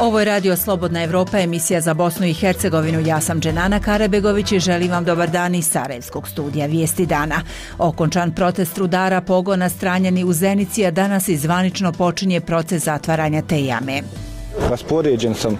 Ovo je Radio Slobodna Evropa, emisija za Bosnu i Hercegovinu. Ja sam Dženana Karabegović i želim vam dobar dan iz Sarajevskog studija Vijesti dana. Okončan protest rudara pogona Stranjani u Zenici, a danas i zvanično počinje proces zatvaranja te jame. Raspoređen sam,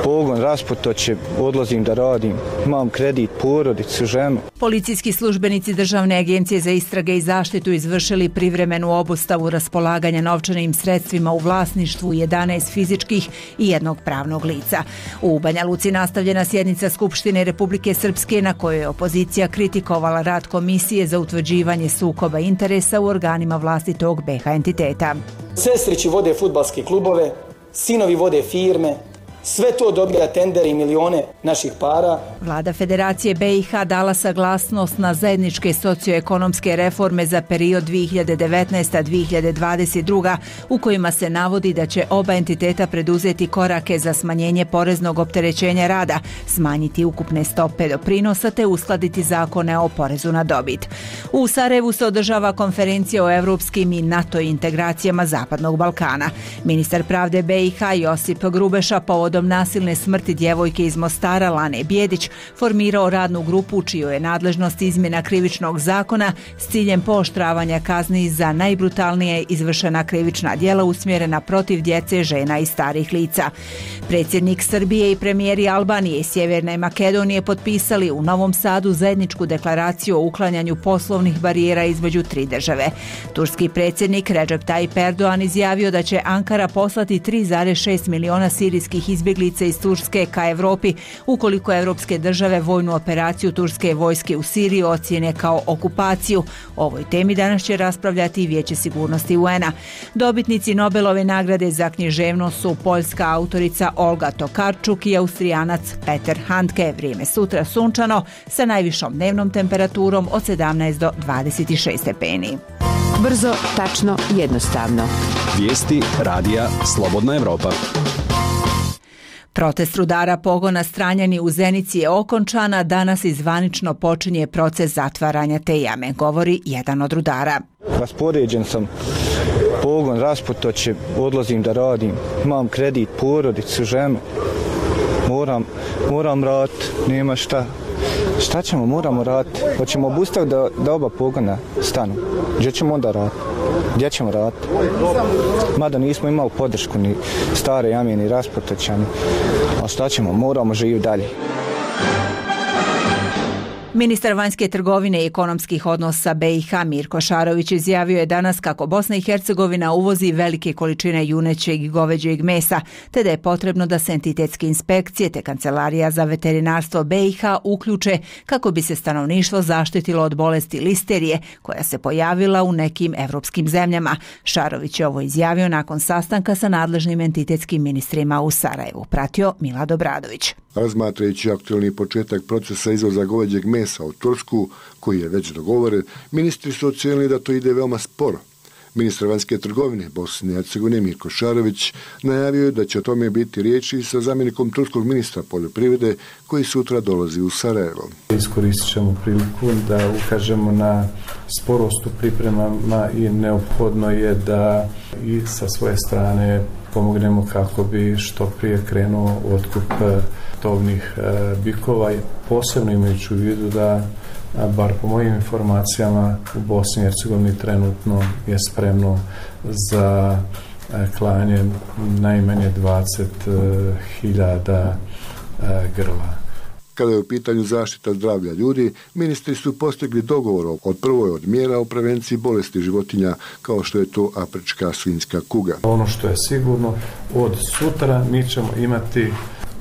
pogon rasputoće, odlazim da radim, imam kredit, porodicu, ženu. Policijski službenici Državne agencije za istrage i zaštitu izvršili privremenu obustavu raspolaganja novčanim sredstvima u vlasništvu 11 fizičkih i jednog pravnog lica. U Banja Luci nastavljena sjednica Skupštine Republike Srpske na kojoj je opozicija kritikovala rad Komisije za utvrđivanje sukoba interesa u organima vlastitog BiH entiteta. Sestrići vode fudbalske klubove, sinovi vode firme, sve to dobija tendere i milione naših para. Vlada Federacije BiH dala saglasnost na zajedničke socioekonomske reforme za period 2019-2022 u kojima se navodi da će oba entiteta preduzeti korake za smanjenje poreznog opterećenja rada, smanjiti ukupne stope doprinosa te uskladiti zakone o porezu na dobit. U Sarajevu se održava konferencija o evropskim i NATO integracijama Zapadnog Balkana. Ministar pravde BiH Josip Grubeša povodom nasilne smrti djevojke iz Mostara Lane Bjedić formirao radnu grupu čijoj je nadležnost izmjena krivičnog zakona s ciljem pooštravanja kazni za najbrutalnije izvršena krivična djela usmjerena protiv djece, žena i starih lica. Predsjednik Srbije i premijeri Albanije i Sjeverne Makedonije potpisali u Novom Sadu zajedničku deklaraciju o uklanjanju poslovnih barijera između tri države. Turski predsjednik Recep Tayyip Erdogan izjavio da će Ankara poslati 3,6 miliona sirijskih izbjeglica iz Turske ka Evropi ukoliko evropske države vojnu operaciju turske vojske u Siriji ocijene kao okupaciju. O ovoj temi danas će raspravljati i Vijeće sigurnosti UN-a. Dobitnici Nobelove nagrade za književnost su poljska autorica Olga Tokarczuk i Austrijanac Peter Handke. Vrijeme sutra sunčano sa najvišom dnevnom temperaturom od 17 do 26 stepeni. Brzo, tačno, jednostavno. Vijesti radija Slobodna Evropa. Protest rudara pogona Stranjani u Zenici je okončan, a danas i zvanično počinje proces zatvaranja te jame, govori jedan od rudara. Raspoređen sam, pogon rasputoće, odlazim da radim, imam kredit, porodicu, ženu. Moram raditi, nema šta. Šta ćemo, moramo raditi? Hoćemo obustaviti da oba pogona stanu. Gdje ćemo onda raditi? Gdje ćemo raditi? Mada nismo imali podršku ni stare jame, ni rasputoćani. A šta ćemo, moramo živjeti dalje. Ministar vanjske trgovine i ekonomskih odnosa BiH Mirko Šarović izjavio je danas kako Bosna i Hercegovina uvozi velike količine junećeg i goveđeg mesa, te da je potrebno da se entitetske inspekcije te Kancelarija za veterinarstvo BiH uključe kako bi se stanovništvo zaštitilo od bolesti listerije koja se pojavila u nekim evropskim zemljama. Šarović je ovo izjavio nakon sastanka sa nadležnim entitetskim ministrima u Sarajevu. Pratio Milad Obradović. Razmatrajući aktualni početak procesa izvoza goveđeg mesa u Tursku, koji je već dogovoren, ministri su ocijenili da to ide veoma sporo. Ministar vanjske trgovine Bosne i Hercegovine Mirko Šarović najavio je da će o tome biti riječi sa zamjenikom turskog ministra poljoprivrede koji sutra dolazi u Sarajevo. Iskoristit ćemo priliku da ukažemo na sporost u pripremama i neophodno je da i sa svoje strane pomognemo kako bi što prije krenuo otkup tovnih bikova, posebno imajući u vidu da, bar po mojim informacijama, u Bosni i Hercegovini trenutno je spremno za klanje najmanje 20.000 grla. Kada je u pitanju zaštita zdravlja ljudi, ministri su postigli dogovor od prvoj od mjera o prevenciji bolesti životinja, kao što je to afrička svinjska kuga. Ono što je sigurno, od sutra mi ćemo imati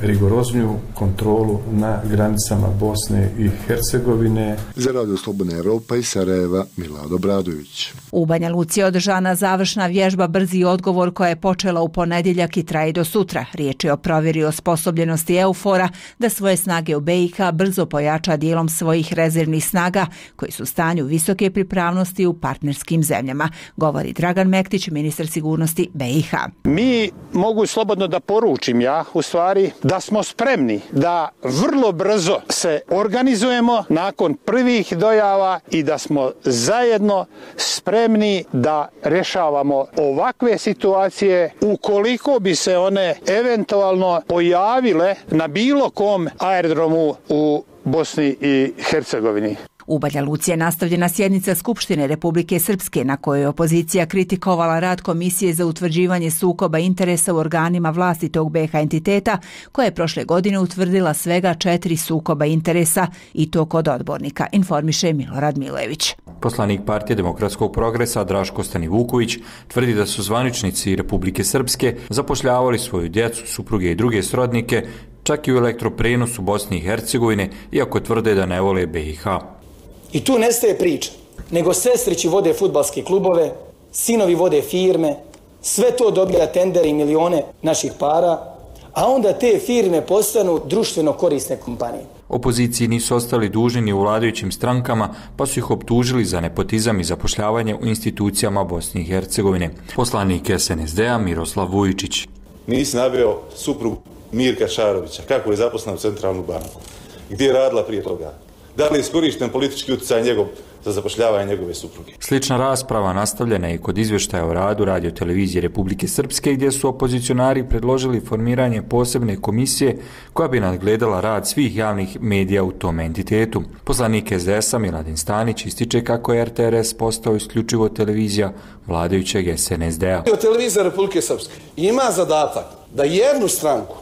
rigorozniju kontrolu na granicama Bosne i Hercegovine. Za Radio Slobodna Evropa iz Sarajeva, Milad Obradović. U Banja Luci je održana završna vježba Brzi odgovor koja je počela u ponedjeljak i traje do sutra. Riječ je o provjeri osposobljenosti EUFOR-a da svoje snage u BiH brzo pojača dijelom svojih rezervnih snaga koji su u stanju visoke pripravnosti u partnerskim zemljama, govori Dragan Mektić, ministar sigurnosti BiH. Mi mogu slobodno da poručim u stvari da smo spremni da vrlo brzo se organizujemo nakon prvih dojava i da smo zajedno spremni da rješavamo ovakve situacije ukoliko bi se one eventualno pojavile na bilo kom aerodromu u Bosni i Hercegovini. U Banja Luci je nastavljena sjednica Skupštine Republike Srpske na kojoj je opozicija kritikovala rad Komisije za utvrđivanje sukoba interesa u organima vlasti tog BiH entiteta, koja je prošle godine utvrdila svega 4 sukoba interesa i to kod odbornika, informiše Milorad Milojević. Poslanik Partije demokratskog progresa Draško Stanivuković tvrdi da su zvaničnici Republike Srpske zapošljavali svoju djecu, supruge i druge srodnike, čak i u elektroprenosu Bosne i Hercegovine, iako tvrde da ne vole BiH. I tu nestaje priča, nego sestrići vode fudbalske klubove, sinovi vode firme, sve to dobija tendere i milione naših para, a onda te firme postanu društveno korisne kompanije. Opoziciji nisu ostali dužni ni u vladajućim strankama, pa su ih optužili za nepotizam i zapošljavanje u institucijama Bosne i Hercegovine. Poslanik SNSD-a Miroslav Vujičić. Nisi naveo suprugu Mirka Šarovića, kako je zaposlena u Centralnu banku, gdje je radila prije toga. Da li je iskorišten politički utjecaj njegov za zapošljavanje njegove supruge? Slična rasprava nastavljena je i kod izvještaja o radu Radio-televizije Republike Srpske, gdje su opozicionari predložili formiranje posebne komisije koja bi nadgledala rad svih javnih medija u tom entitetu. Poslanik SDS-a Miladin Stanić ističe kako je RTRS postao isključivo televizija vladajućeg SNSD-a. Televizija Republike Srpske ima zadatak da jednu stranku,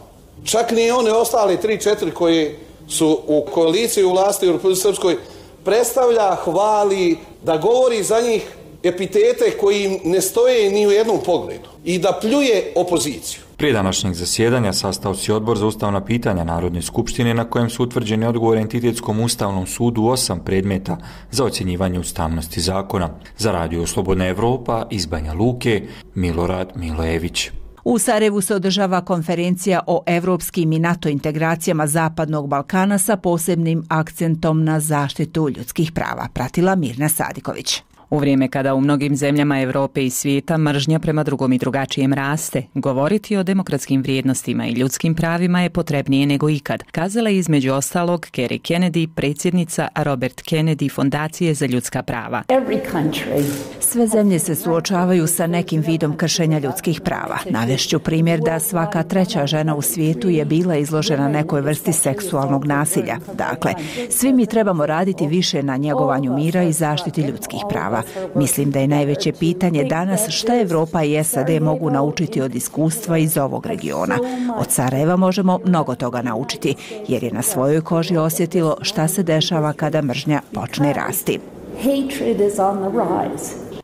čak ni one ostale 3-4 koje su u koaliciji u vlasti u Republike Srpskoj, predstavlja, hvali, da govori za njih epitete koji ne stoje ni u jednom pogledu i da pljuje opoziciju. Prije današnjeg zasjedanja sastao se Odbor za ustavna pitanja Narodne skupštine na kojem su utvrđeni odgovori Entitetskom ustavnom sudu 8 predmeta za ocjenjivanje ustavnosti zakona. Za Radio Slobodna Evropa iz Banja Luke, Milorad Milojević. U Sarajevu se održava konferencija o evropskim i NATO integracijama Zapadnog Balkana sa posebnim akcentom na zaštitu ljudskih prava, pratila Mirna Sadiković. U vrijeme kada u mnogim zemljama Europe i svijeta mržnja prema drugom i drugačijem raste, govoriti o demokratskim vrijednostima i ljudskim pravima je potrebnije nego ikad, kazala je između ostalog Kerry Kennedy, predsjednica Robert Kennedy Fondacije za ljudska prava. Sve zemlje se suočavaju sa nekim vidom kršenja ljudskih prava. Navešću primjer da svaka 3. žena u svijetu je bila izložena nekoj vrsti seksualnog nasilja. Dakle, svi mi trebamo raditi više na njegovanju mira i zaštiti ljudskih prava. Mislim da je najveće pitanje danas šta Evropa i SAD mogu naučiti od iskustva iz ovog regiona. Od Sarajeva možemo mnogo toga naučiti, jer je na svojoj koži osjetilo šta se dešava kada mržnja počne rasti.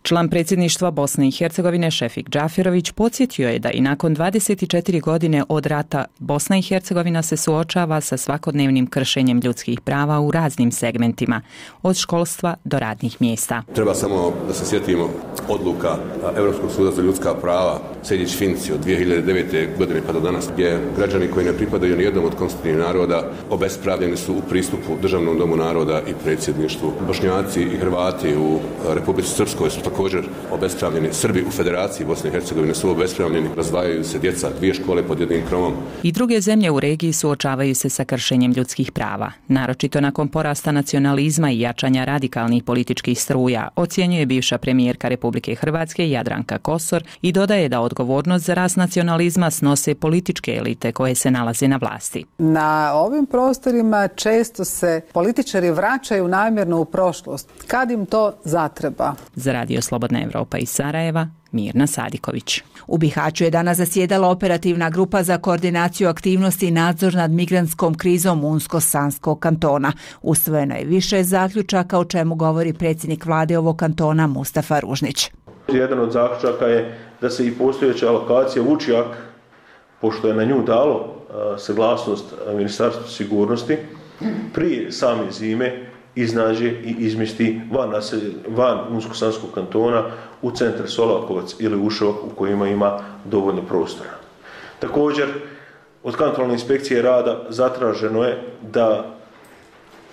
Član predsjedništva Bosne i Hercegovine Šefik Džaferović podsjetio je da i nakon 24 godine od rata Bosna i Hercegovina se suočava sa svakodnevnim kršenjem ljudskih prava u raznim segmentima, od školstva do radnih mjesta. Treba samo da se sjetimo odluka Europskog suda za ljudska prava Sejdić-Finci od 2009. godine pa do danas, gdje građani koji ne pripadaju ni jednom od konstitutivnih naroda obespravljeni su u pristupu Državnom domu naroda i predsjedništvu. Bošnjaci i Hrvati u Republici Srpskoj su također obespravljeni. Srbi u Federaciji Bosne i Hercegovine su obespravljeni. Razdvajaju se djeca, 2 škole pod jednim krovom. I druge zemlje u regiji suočavaju se sa kršenjem ljudskih prava. Naročito nakon porasta nacionalizma i jačanja radikalnih političkih struja, ocjenjuje bivša premijerka Republike Hrvatske Jadranka Kosor i dodaje da odgovornost za rast nacionalizma snose političke elite koje se nalaze na vlasti. Na ovim prostorima često se političari vraćaju namjerno u prošlost, kad im to zatreba. Za Radio Slobodna Evropa iz Sarajeva, Mirna Sadiković. U Bihaću je danas zasjedala operativna grupa za koordinaciju aktivnosti i nadzor nad migrantskom krizom Unsko-Sanskog kantona. Usvojeno je više zaključaka, o čemu govori predsjednik vlade ovog kantona Mustafa Ružnić. Jedan od zaključaka je da se i postojeća alokacija Vučjak, pošto je na nju dalo saglasnost Ministarstva sigurnosti, prije same zime iznađe i izmjesti van Unsko-Sanskog kantona u centar Solakovac ili Ušovak u kojima ima dovoljno prostora. Također, od kontrolne inspekcije rada zatraženo je da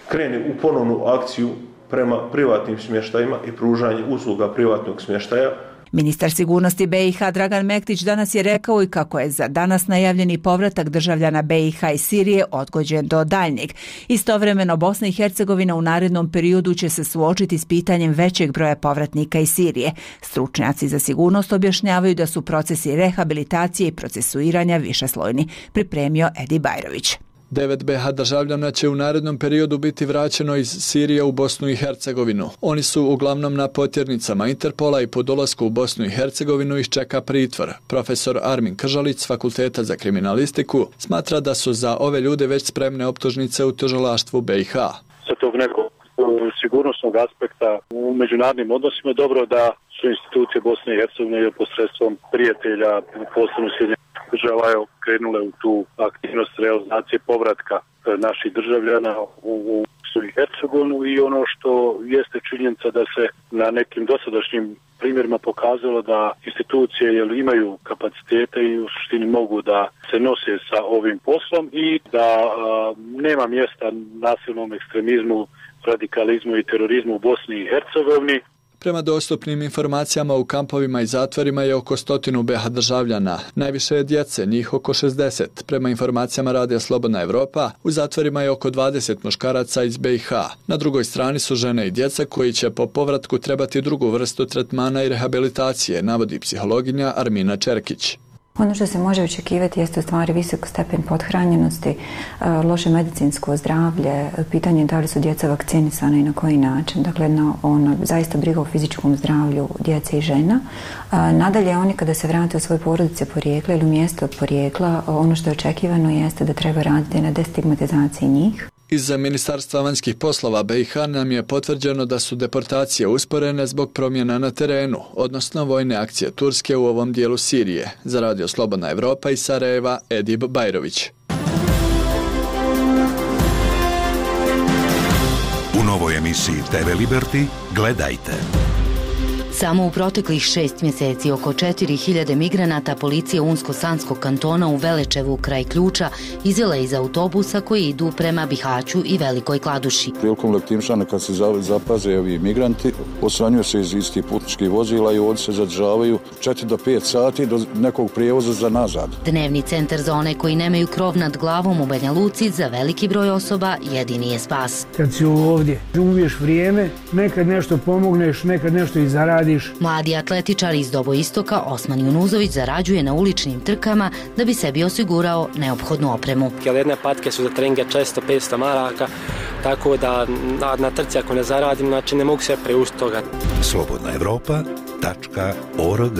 krene u ponovnu akciju prema privatnim smještajima i pružanje usluga privatnog smještaja Ministar sigurnosti BiH Dragan Mektić danas je rekao i kako je za danas najavljeni povratak državljana BiH iz Sirije odgođen do daljnjeg. Istovremeno Bosna i Hercegovina u narednom periodu će se suočiti s pitanjem većeg broja povratnika iz Sirije. Stručnjaci za sigurnost objašnjavaju da su procesi rehabilitacije i procesuiranja višeslojni, pripremio Edi Bajrović. 9 BiH državljana će u narednom periodu biti vraćeno iz Sirije u Bosnu i Hercegovinu. Oni su uglavnom na potjernicama Interpola i po dolasku u Bosnu i Hercegovinu ih čeka pritvor. Profesor Armin Kržalić s Fakulteta za kriminalistiku smatra da su za ove ljude već spremne optužnice u tužilaštvu BiH. Sa tog nekog sigurnosnog aspekta u međunarodnim odnosima je dobro da su institucije Bosne i Hercegovine posredstvom prijatelja, posebno Sjedinjenih država, krenule u tu aktivnost realizacije povratka naših državljana u Bosnu i Hercegovinu i ono što jeste činjenica da se na nekim dosadašnjim primjerima pokazalo da institucije imaju kapacitete i u suštini mogu da se nose sa ovim poslom i da nema mjesta nasilnom ekstremizmu, radikalizmu i terorizmu u Bosni i Hercegovini. Prema dostupnim informacijama u kampovima i zatvorima je oko 100 BiH državljana. Najviše je djece, njih oko 60. Prema informacijama Radija Slobodna Evropa, u zatvorima je oko 20 muškaraca iz BiH. Na drugoj strani su žene i djeca koji će po povratku trebati drugu vrstu tretmana i rehabilitacije, navodi psihologinja Armina Čerkić. Ono što se može očekivati jeste u stvari visok stepen pothranjenosti, loše medicinsko zdravlje, pitanje da li su djeca vakcinisana i na koji način. Dakle, zaista briga o fizičkom zdravlju djece i žena. Nadalje, oni kada se vrate u svoje porodice porijekla ili u mjesto od porijekla, ono što je očekivano jeste da treba raditi na destigmatizaciji njih. Iz Ministarstva vanjskih poslova BiH nam je potvrđeno da su deportacije usporene zbog promjena na terenu, odnosno vojne akcije Turske u ovom dijelu Sirije. Za Radio Slobodna Evropa iz Sarajeva, Edib Bajrović. U novoj emisiji TV Liberty gledajte. Samo u proteklih 6 mjeseci oko 4000 migranata policija Unsko-Sanskog kantona u Velečevu kraj Ključa izvela iz autobusa koji idu prema Bihaću i Velikoj Kladuši. Prilikom letimšana kad se zapaze ovi migranti, osvanjuju se iz istih putničkih vozila i ovdje se zadržavaju 4 do 5 sati do nekog prijevoza za nazad. Dnevni centar za one koji nemaju krov nad glavom u Banja Luci za veliki broj osoba jedini je spas. Kad si ovdje, umiješ vrijeme, nekad nešto pomogneš, nekad nešto i zaradiš. Mladi atletičar iz Doboistoka Osman Junuzović zarađuje na uličnim trkama da bi sebi osigurao neophodnu opremu. Jedne patke su za treninge često 500 maraka, tako da na trci ako ne zaradim, znači ne mogu se preustiti toga. slobodnaevropa.org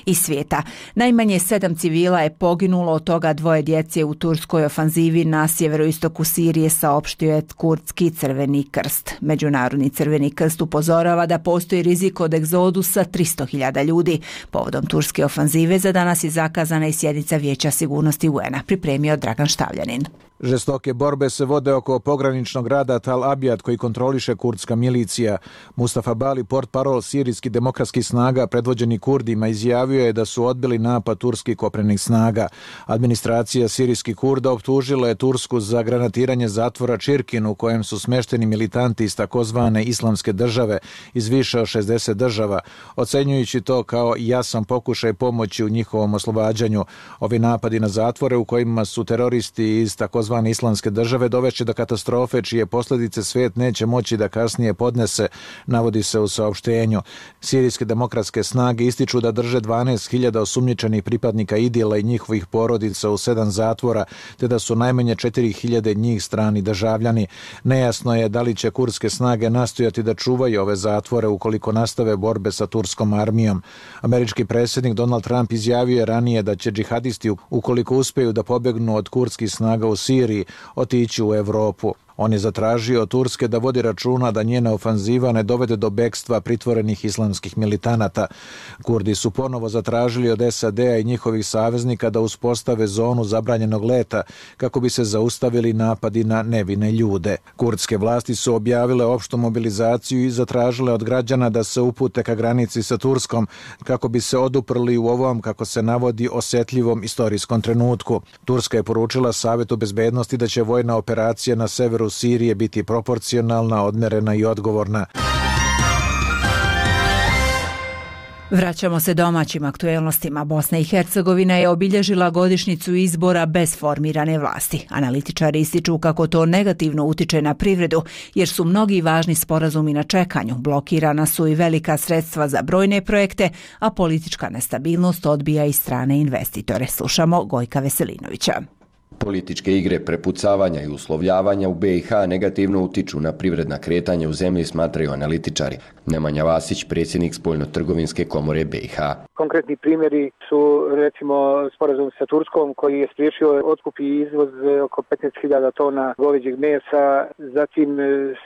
Iz svijeta. Najmanje 7 civila je poginulo, od toga 2 djece u turskoj ofanzivi na sjeveroistoku Sirije, saopštio je Kurdski Crveni krst. Međunarodni Crveni krst upozorava da postoji rizik od egzodusa 300.000 ljudi. Povodom turske ofanzive za danas je zakazana i sjednica Vijeća sigurnosti UN-a, pripremio Dragan Štavljanin. Žestoke borbe se vode oko pograničnog grada Tal Abjad koji kontroliše kurdska milicija. Mustafa Bali, portparol sirijskih demokratskih snaga predvođeni Kurdima, izjavio je da su odbili napad turskih kopnenih snaga. Administracija sirijskih Kurda optužila je Tursku za granatiranje zatvora Čirkin u kojem su smešteni militanti iz takozvane islamske države iz više od 60 država, ocenjujući to kao jasan pokušaj pomoći u njihovom oslobađanju. Ovi napadi na zatvore u kojima su teroristi iz takozvane islamske države dovešće do katastrofe čije posljedice svijet neće moći da kasnije podnese, navodi se u saopštenju. Sirijske demokratske snage ističu da drže 12.000 osumnjičenih pripadnika IDIL-a i njihovih porodica u 7 zatvora, te da su najmanje 4.000 njih strani državljani. Nejasno je da li će kurdske snage nastojati da čuvaju ove zatvore ukoliko nastave borbe sa turskom armijom. Američki predsjednik Donald Trump izjavio je ranije da će džihadisti, ukoliko uspjeju da pobjegnu od kurdskih snaga u Siriji, otići u Europu. On je zatražio od Turske da vodi računa da njena ofanziva ne dovede do bekstva pritvorenih islamskih militanata. Kurdi su ponovo zatražili od SAD-a i njihovih saveznika da uspostave zonu zabranjenog leta kako bi se zaustavili napadi na nevine ljude. Kurdske vlasti su objavile opštu mobilizaciju i zatražile od građana da se upute ka granici sa Turskom kako bi se oduprli u ovom, kako se navodi, osjetljivom istorijskom trenutku. Turska je poručila Savetu bezbednosti da će vojna operacija na severu Sirije biti proporcionalna, odmerena i odgovorna. Vraćamo se domaćim aktuelnostima. Bosna i Hercegovina je obilježila godišnjicu izbora bez formirane vlasti. Analitičari ističu kako to negativno utiče na privredu, jer su mnogi važni sporazumi na čekanju. Blokirana su i velika sredstva za brojne projekte, a politička nestabilnost odbija i strane investitore. Slušamo Gojka Veselinovića. Političke igre prepucavanja i uslovljavanja u BiH negativno utiču na privredna kretanja u zemlji, smatraju analitičari. Nemanja Vasić, predsjednik Spoljno-trgovinske komore BiH. Konkretni primjeri su recimo sporazum sa Turskom koji je spriječio otkup i izvoz oko 15.000 tona goveđeg mesa, zatim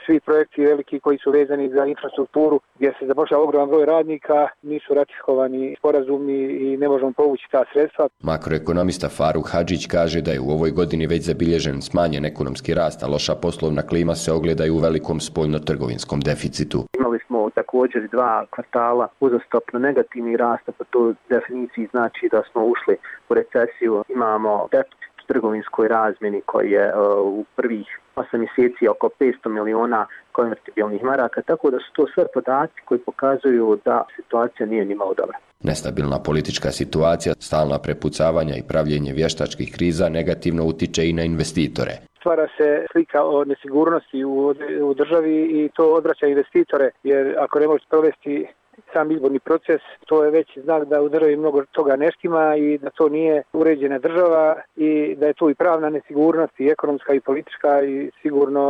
svi projekti veliki koji su vezani za infrastrukturu gdje se zapošljava ogroman broj radnika, nisu ratifikovani sporazumi i ne možemo povući ta sredstva. Makroekonomista Faruk Hadžić kaže da je u ovoj godini već zabilježen smanjen ekonomski rast, a loša poslovna klima se ogledaju u velikom spoljno-trgovinskom deficitu. Imali smo također 2 kvartala uzastopno negativni rast, po toj definiciji znači da smo ušli u recesiju. Imamo deficit u trgovinskoj razmjeni koji je u prvih 8 mjeseci oko 500 miliona konvertibilnih maraka, tako da su to sve podaci koji pokazuju da situacija nije nimalo dobra. Nestabilna politička situacija, stalna prepucavanja i pravljenje vještačkih kriza negativno utiče i na investitore. Stvara se slika o nesigurnosti u državi i to odvraća investitore, jer ako ne možete provesti sam izborni proces, to je već znak da u državi mnogo toga ne štima i da to nije uređena država i da je tu i pravna nesigurnost i ekonomska i politička i sigurno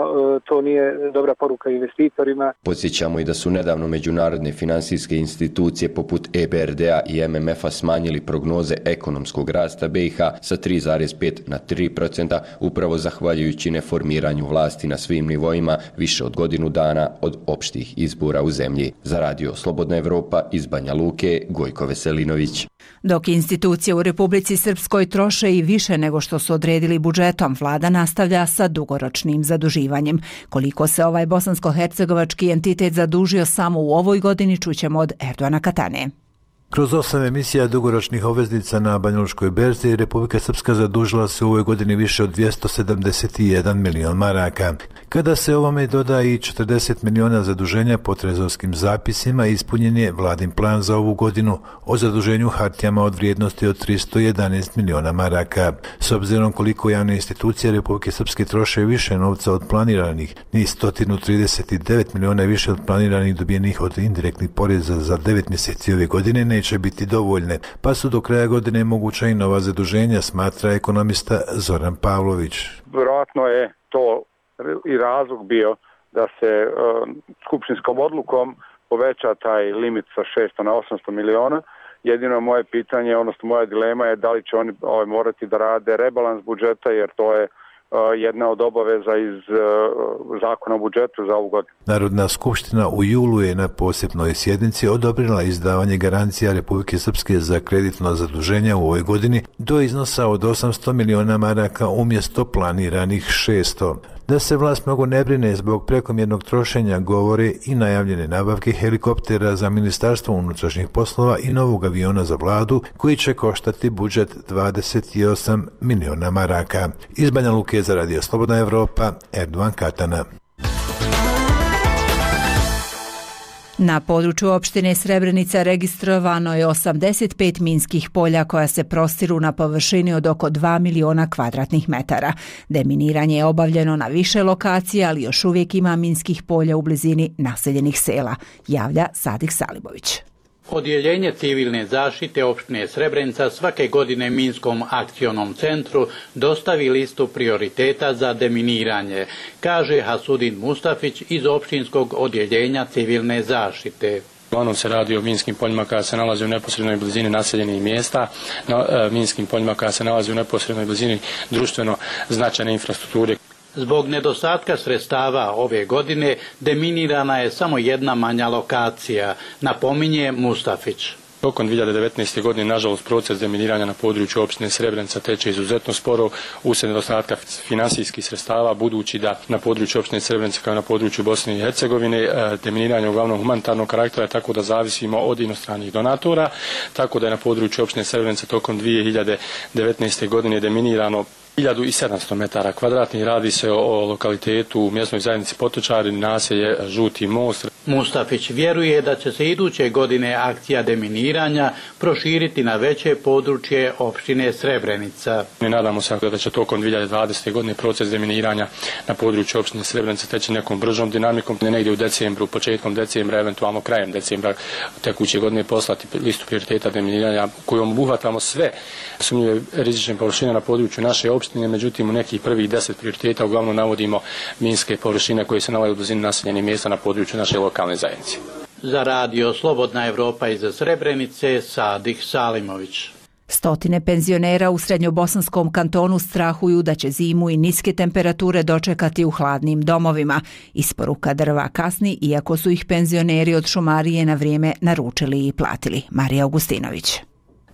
to nije dobra poruka investitorima. Podsjećamo i da su nedavno međunarodne financijske institucije poput EBRD-a i MMF-a smanjili prognoze ekonomskog rasta BiH sa 3,5 na 3%, upravo zahvaljujući neformiranju vlasti na svim nivoima više od godinu dana od opštih izbora u zemlji. Za Radio Slobodna Evropa iz Banja Luke, Gojko Veselinović. Dok institucije u Republici Srpskoj troše i više nego što su odredili budžetom, vlada nastavlja sa dugoročnim zaduživanjem. Koliko se ovaj bosansko-hercegovački entitet zadužio samo u ovoj godini, čućemo od Erdoana Katane. Kroz 8 emisija dugoročnih obveznica na Banjalučkoj berzi, Republika Srpska zadužila se u ovoj godini više od 271 milion maraka. Kada se ovome doda i 40 miliona zaduženja po trezorskim zapisima, ispunjen je vladin plan za ovu godinu o zaduženju hartijama od vrijednosti od 311 miliona maraka. S obzirom koliko javne institucije Republike Srpske troše više novca od planiranih, ni 139 miliona više od planiranih dobijenih od indirektnih poreza za 9 mjeseci ove godine neće biti dovoljne, pa su do kraja godine moguća i nova zaduženja, smatra ekonomista Zoran Pavlović. Vjerojatno je to i razlog bio da se skupštinskom odlukom poveća taj limit sa 600 na 800 miliona. Jedino moje pitanje, odnosno moja dilema je da li će oni morati da rade rebalans budžeta, jer to je jedna od obaveza iz zakona o budžetu za ovu godinu. Narodna skupština u julu je na posebnoj sjednici odobrila izdavanje garancija Republike Srpske za kreditno zaduženje u ovoj godini do iznosa od 800 miliona maraka umjesto planiranih 600. Da se vlast mnogo ne brine zbog prekomjernog trošenja govore i najavljene nabavke helikoptera za Ministarstvo unutrašnjih poslova i novog aviona za vladu koji će koštati budžet 28 miliona maraka. Iz Banja Luke za Radio Slobodna Evropa, Erdoan Katana. Na području opštine Srebrenica registrovano je 85 minskih polja koja se prostiru na površini od oko 2 miliona kvadratnih metara. Deminiranje je obavljeno na više lokacija, ali još uvijek ima minskih polja u blizini naseljenih sela, javlja Sadik Salibović. Odjeljenje civilne zaštite opštine Srebrenica svake godine Minskom akcionom centru dostavi listu prioriteta za deminiranje, kaže Hasudin Mustafić iz opštinskog odjeljenja civilne zaštite. Uglavnom se radi o minskim poljima koja se nalaze u neposrednoj blizini naseljenih mjesta, minskim poljima koja se nalaze u neposrednoj blizini društveno značajne infrastrukture. Zbog nedostatka sredstava ove godine deminirana je samo jedna manja lokacija, napominje Mustafić. Tokom 2019. godine, nažalost, proces deminiranja na području opštine Srebrenica teče izuzetno sporo uslijed nedostatka finansijskih sredstava, budući da na području opštine Srebrenica kao na području Bosne i Hercegovine deminiranje je uglavnom humanitarnog karaktera, tako da zavisimo od inostranih donatora, tako da je na području opštine Srebrenica tokom 2019. godine deminirano 1700 metara kvadratnih. Radi se o lokalitetu u mjesnoj zajednici Potočari, naselje Žuti most. Mustafić vjeruje da će se iduće godine akcija deminiranja proširiti na veće područje opštine Srebrenica. Nadamo se da će tokom 2020. godine proces deminiranja na području opštine Srebrenica teći nekom bržom dinamikom, negdje u decembru, početkom decembra, eventualno krajem decembra tekuće godine poslati listu prioriteta deminiranja kojom obuhvatamo sve sumnjive rizične površine na području naše opštine. Međutim, u nekih prvih 10 prioriteta uglavnom navodimo minske površine koje se nalaze u blizini naseljenih mjesta na području naše lokalne zajednice. Za radio Slobodna Evropa iz Srebrenice, Sadih Salimović. Stotine penzionera u srednjobosanskom kantonu strahuju da će zimu i niske temperature dočekati u hladnim domovima. Isporuka drva kasni, iako su ih penzioneri od šumarije na vrijeme naručili i platili. Marija Augustinović.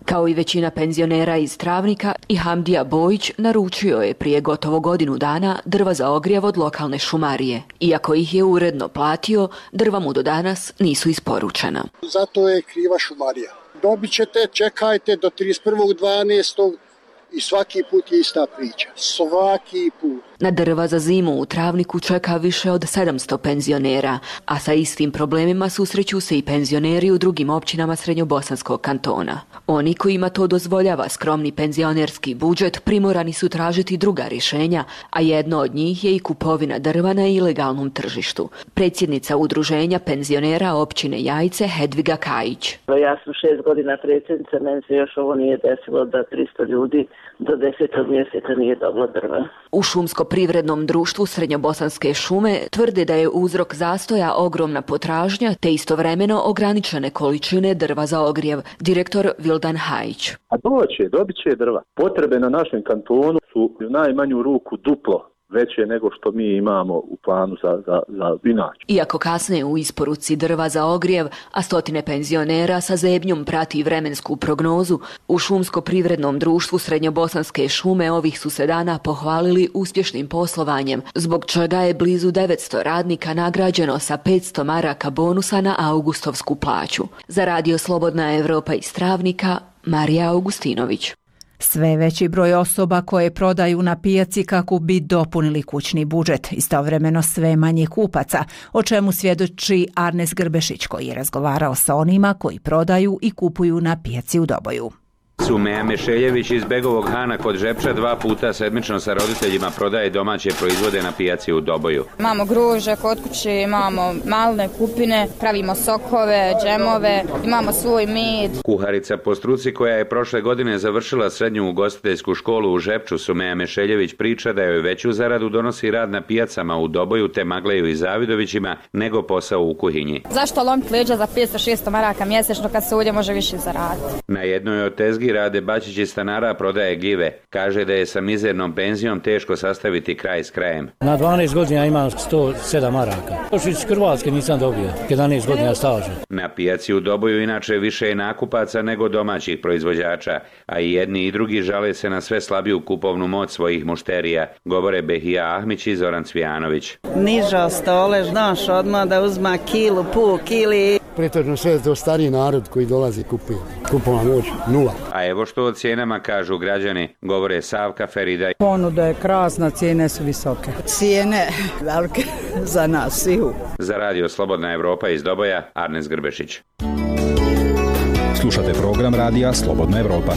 Kao i većina penzionera iz Travnika, i Hamdija Bojić naručio je prije gotovo godinu dana drva za ogrjev od lokalne šumarije. Iako ih je uredno platio, drva mu do danas nisu isporučena. Zato je kriva šumarija. Dobit ćete, čekajte do 31.12. i svaki put je ista priča. Svaki put. Na drva za zimu u Travniku čeka više od 700 penzionera, a sa istim problemima susreću se i penzioneri u drugim općinama srednjobosanskog kantona. Oni kojima to dozvoljava skromni penzionerski budžet primorani su tražiti druga rješenja, a jedno od njih je i kupovina drva na ilegalnom tržištu. Predsjednica udruženja penzionera općine Jajce Hedviga Kajić. Ja sam 6 godina predsjednica, meni se još ovo nije desilo da 300 ljudi do 10. mjeseca nije dobilo drva. U Šumsko-privrednom društvu Srednjobosanske šume tvrde da je uzrok zastoja ogromna potražnja te istovremeno ograničene količine drva za ogrjev. Direktor Vildan Hajić. A dobit će drva. Potrebe na našem kantonu su u najmanju ruku duplo veće nego što mi imamo u planu za inače. Iako kasne u isporuci drva za ogrjev, a stotine penzionera sa zebnjom prati vremensku prognozu, u Šumsko-privrednom društvu Srednjobosanske šume ovih su se dana pohvalili uspješnim poslovanjem, zbog čega je blizu 900 radnika nagrađeno sa 500 maraka bonusa na augustovsku plaću. Za radio Slobodna Evropa iz Travnika, Marija Augustinović. Sve veći broj osoba koje prodaju na pijaci kako bi dopunili kućni budžet, istovremeno sve manje kupaca, o čemu svjedoči Arnes Grbešić koji je razgovarao sa onima koji prodaju i kupuju na pijaci u Doboju. Sumeja Mešeljević iz Begovog Hana kod Žepča 2 puta sedmično sa roditeljima prodaje domaće proizvode na pijaci u Doboju. Imamo gruže kod kuće, imamo malne kupine, pravimo sokove, džemove, imamo svoj med. Kuharica po struci koja je prošle godine završila srednju ugostiteljsku školu u Žepču, Sumeja Mešeljević priča da joj veću zaradu donosi rad na pijacama u Doboju te Magleju i Zavidovićima nego posao u kuhinji. Zašto lomiti leđa za 500-600 maraka mjesečno kad se ovdje može više zaraditi? Na jednoj od tezgi Rade Bačić iz stanara prodaje gljive. Kaže da je sa mizernom penzijom teško sastaviti kraj s krajem. Na 12 godina imam 107 maraka. Još iz Hrvatske nisam dobio, 11 godina staža. Na pijaci u Doboju inače više je nakupaca nego domaćih proizvođača, a i jedni i drugi žale se na sve slabiju kupovnu moć svojih mušterija, govore Behija Ahmić i Zoran Cvijanović. Niža stole, znaš odmah da uzma kilu, pol kili. Pretežno sve to stariji narod koji dolazi kupuje. Kupovna moć 0. A evo što o cijenama kažu građani, govore Savka Ferida. Ponuda je krasna, cijene su visoke. Cijene velike za nas svihu. Za radio Slobodna Evropa iz Doboja, Arnes Grbešić. Slušate program radija Slobodna Evropa.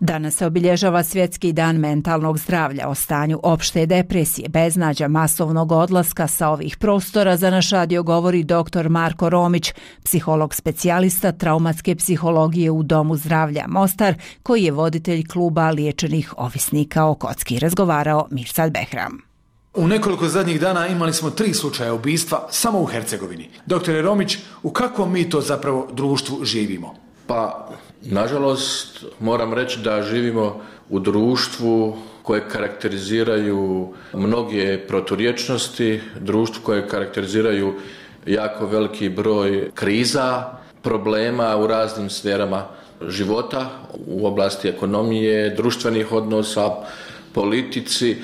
Danas se obilježava Svjetski dan mentalnog zdravlja. O stanju opšte depresije, beznađa, masovnog odlaska sa ovih prostora za naš radio govori dr. Marko Romić, psiholog specijalista traumatske psihologije u Domu zdravlja Mostar, koji je voditelj kluba liječenih ovisnika o kocki. Razgovarao Mirsad Behram. U nekoliko zadnjih dana imali smo 3 slučaja ubistva samo u Hercegovini. Doktore Romić, u kakvom mi to zapravo društvu živimo? Pa, nažalost, moram reći da živimo u društvu koje karakteriziraju mnoge proturječnosti, društvu koje karakteriziraju jako veliki broj kriza, problema u raznim sferama života, u oblasti ekonomije, društvenih odnosa, politici.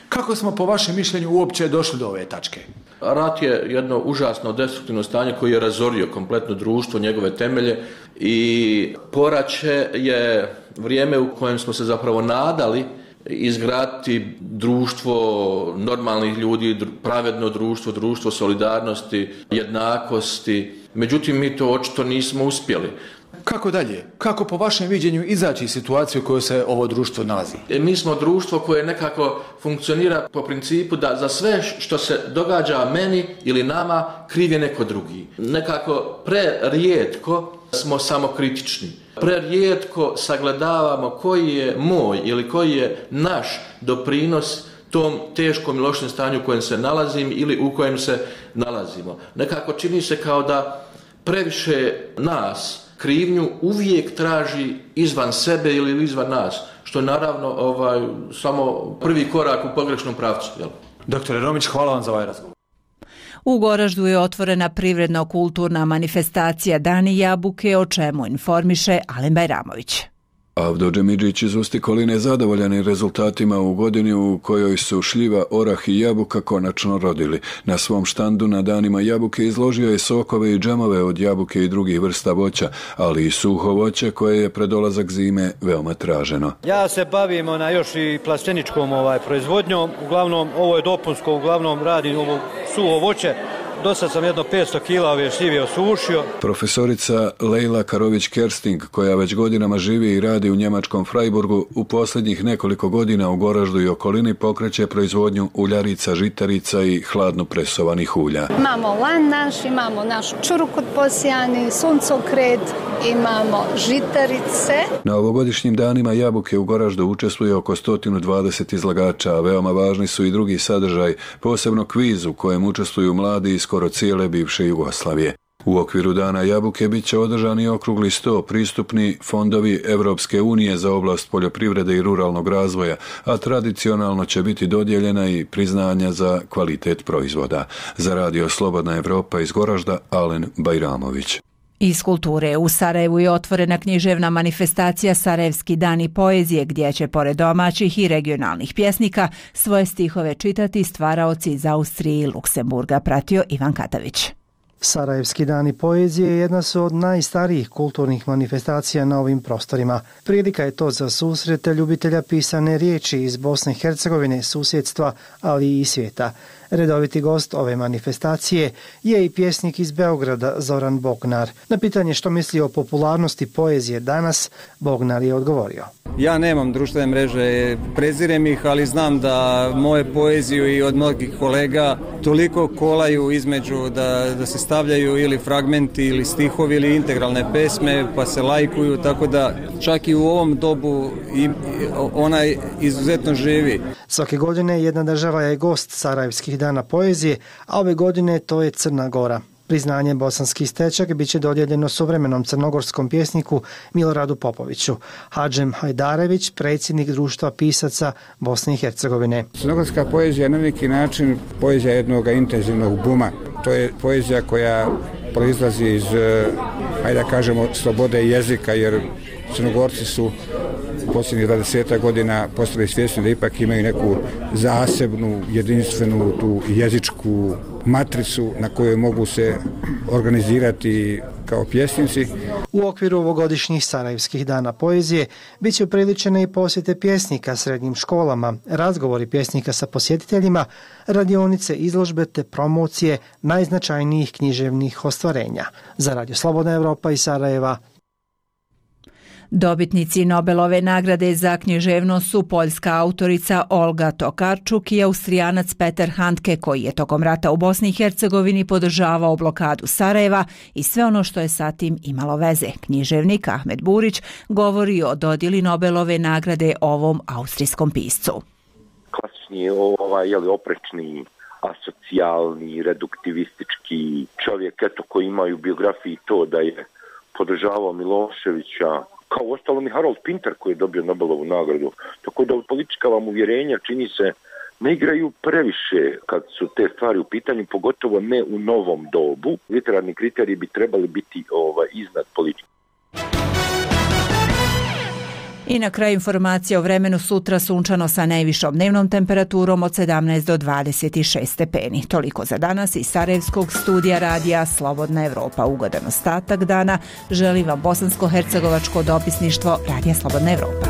Kako smo po vašem mišljenju uopće došli do ove tačke? Rat je jedno užasno destruktivno stanje koje je razorio kompletno društvo, njegove temelje i poraće je vrijeme u kojem smo se zapravo nadali izgraditi društvo normalnih ljudi, pravedno društvo, društvo solidarnosti, jednakosti. Međutim, mi to očito nismo uspjeli. Kako dalje? Kako po vašem viđenju izaći iz situacije u kojoj se ovo društvo nalazi? Mi smo društvo koje nekako funkcionira po principu da za sve što se događa meni ili nama kriv je neko drugi. Nekako prerijetko smo samokritični. Prerijetko sagledavamo koji je moj ili koji je naš doprinos tom teškom i lošem stanju u kojem se nalazim ili u kojem se nalazimo. Nekako čini se kao da previše nas krivnju uvijek traži izvan sebe ili izvan nas, što je naravno samo prvi korak u pogrešnom pravcu. Jel? Doktore Romić, hvala vam za ovaj razgovor. U Goraždu je otvorena privredno-kulturna manifestacija Dani jabuke, o čemu informiše Alen Bajramović. Avdo Džemidžić iz Ustikoline zadovoljan je rezultatima u godini u kojoj su šljiva, orah i jabuka konačno rodili. Na svom štandu na danima jabuke izložio je sokove i džemove od jabuke i drugih vrsta voća, ali i suho voće koje je pred dolazak zime veoma traženo. Ja se bavim još i plasteničkom proizvodnjom, uglavnom ovo je dopunsko, uglavnom radim ovo suho voće. Dosad sam jedno 500 kila ove šljive osušio. Profesorica Lejla Karović-Kersting, koja već godinama živi i radi u njemačkom Freiburgu, u posljednjih nekoliko godina u Goraždu i okolini pokreće proizvodnju uljarica, žitarica i hladno presovanih ulja. Imamo lan naš, imamo našu čurukut posijani, suncokret, imamo žitarice. Na ovogodišnjim danima jabuke u Goraždu učestvuje oko 120 izlagača, a veoma važni su i drugi sadržaj, posebno kviz u kojem učestvuju mladi iz skoro cijele bivše Jugoslavije. U okviru Dana jabuke bit će održani okrugli 100 pristupni fondovi Evropske unije za oblast poljoprivrede i ruralnog razvoja, a tradicionalno će biti dodijeljena i priznanja za kvalitet proizvoda. Za Radio Slobodna Evropa iz Goražda, Alen Bajramović. Iz kulture u Sarajevu je otvorena književna manifestacija Sarajevski dani poezije, gdje će pored domaćih i regionalnih pjesnika svoje stihove čitati stvaraoci iz Austrije i Luksemburga, pratio Ivan Katavić. Sarajevski dani poezije jedna su od najstarijih kulturnih manifestacija na ovim prostorima. Prilika je to za susrete ljubitelja pisane riječi iz Bosne i Hercegovine, susjedstva, ali i svijeta. Redoviti gost ove manifestacije je i pjesnik iz Beograda Zoran Bognar. Na pitanje što misli o popularnosti poezije danas, Bognar je odgovorio. Ja nemam društvene mreže, prezirem ih, ali znam da moje poeziju i od mnogih kolega toliko kolaju između da se stavljaju ili fragmenti ili stihovi ili integralne pesme pa se lajkuju, tako da čak i u ovom dobu ona izuzetno živi. Svake godine jedna država je gost Sarajevskih dana poezije, a ove godine to je Crna Gora. Priznanje Bosanski stečak bit će dodijeljeno suvremenom crnogorskom pjesniku Miloradu Popoviću. Hadžem Hajdarević, predsjednik društva pisaca Bosne i Hercegovine. Crnogorska poezija je na neki način poezija jednog intenzivnog buma. To je poezija koja proizlazi iz, hajde da kažemo, slobode jezika, jer Crnogorci su u posljednjih 20 godina postali svjesni da ipak imaju neku zasebnu, jedinstvenu tu jezičku matricu na kojoj mogu se organizirati kao pjesnici. U okviru ovogodišnjih Sarajevskih dana poezije bit će upriličene i posjete pjesnika srednjim školama, razgovori pjesnika sa posjetiteljima, radionice, izložbe te promocije najznačajnijih književnih ostvarenja. Za Radio Slobodna Evropa iz Sarajeva. Dobitnici Nobelove nagrade za književnost su poljska autorica Olga Tokarczuk i Austrijanac Peter Handke, koji je tokom rata u Bosni i Hercegovini podržavao blokadu Sarajeva i sve ono što je sa tim imalo veze. Književnik Ahmed Burić govori o dodjeli Nobelove nagrade ovom austrijskom piscu. Klasični oprečni, asocijalni, reduktivistički čovjek koji ima u biografiji to da je podržavao Miloševića, kao uostalom i Harold Pinter koji je dobio Nobelovu nagradu. Tako da politička vam uvjerenja, čini se, ne igraju previše kad su te stvari u pitanju, pogotovo ne u novom dobu. Literarni kriteriji bi trebali biti iznad politike. I na kraju informacija o vremenu: sutra sunčano sa najvišom dnevnom temperaturom od 17 do 26 stepeni. Toliko za danas iz Sarajevskog studija radija Slobodna Evropa. Ugodan ostatak dana želi vam bosansko-hercegovačko dopisništvo Radija Slobodna Evropa.